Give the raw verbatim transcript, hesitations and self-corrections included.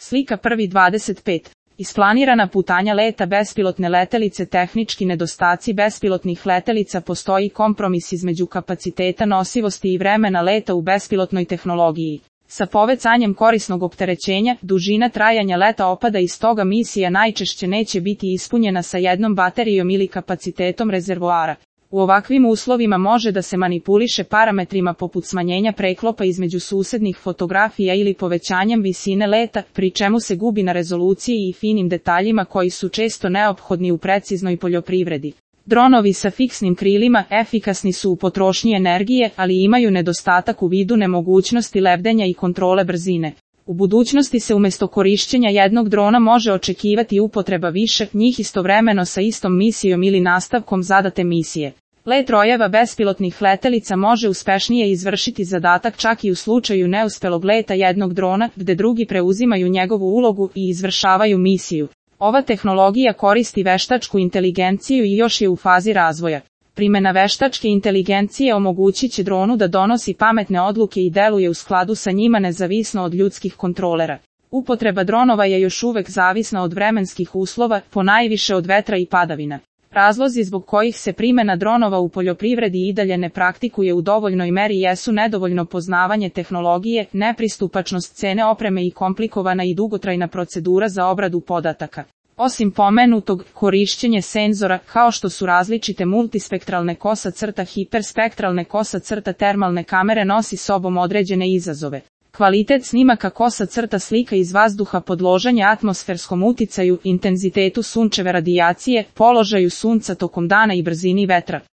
Slika prvi dvadeset pet. Isplanirana putanja leta bespilotne letelice. Tehnički nedostaci bespilotnih letelica. Postoji kompromis između kapaciteta nosivosti i vremena leta u bespilotnoj tehnologiji. Sa povećanjem korisnog opterećenja, dužina trajanja leta opada i stoga misija najčešće neće biti ispunjena sa jednom baterijom ili kapacitetom rezervoara. U ovakvim uslovima može da se manipuliše parametrima poput smanjenja preklopa između susednih fotografija ili povećanjem visine leta, pri čemu se gubi na rezoluciji i finim detaljima koji su često neophodni u preciznoj poljoprivredi. Dronovi sa fiksnim krilima efikasni su u potrošnji energije, ali imaju nedostatak u vidu nemogućnosti lebdenja i kontrole brzine. U budućnosti se umjesto korišćenja jednog drona može očekivati upotreba više njih istovremeno sa istom misijom ili nastavkom zadate misije. Let rojeva bespilotnih letelica može uspešnije izvršiti zadatak čak i u slučaju neuspelog leta jednog drona, gde drugi preuzimaju njegovu ulogu i izvršavaju misiju. Ova tehnologija koristi veštačku inteligenciju i još je u fazi razvoja. Primjena veštačke inteligencije omogućit će dronu da donosi pametne odluke i deluje u skladu sa njima nezavisno od ljudskih kontrolera. Upotreba dronova je još uvek zavisna od vremenskih uslova, ponajviše od vetra i padavina. Razlozi zbog kojih se primjena dronova u poljoprivredi i dalje ne praktikuje u dovoljnoj meri jesu nedovoljno poznavanje tehnologije, nepristupačnost cene opreme i komplikovana i dugotrajna procedura za obradu podataka. Osim pomenutog, korišćenje senzora, kao što su različite multispektralne kosa crta hiperspektralne kosa crta termalne kamere nosi sobom određene izazove. Kvalitet snimaka kosa crta slika iz vazduha podložanje atmosferskom uticaju, intenzitetu sunčeve radijacije, položaju sunca tokom dana i brzini vetra.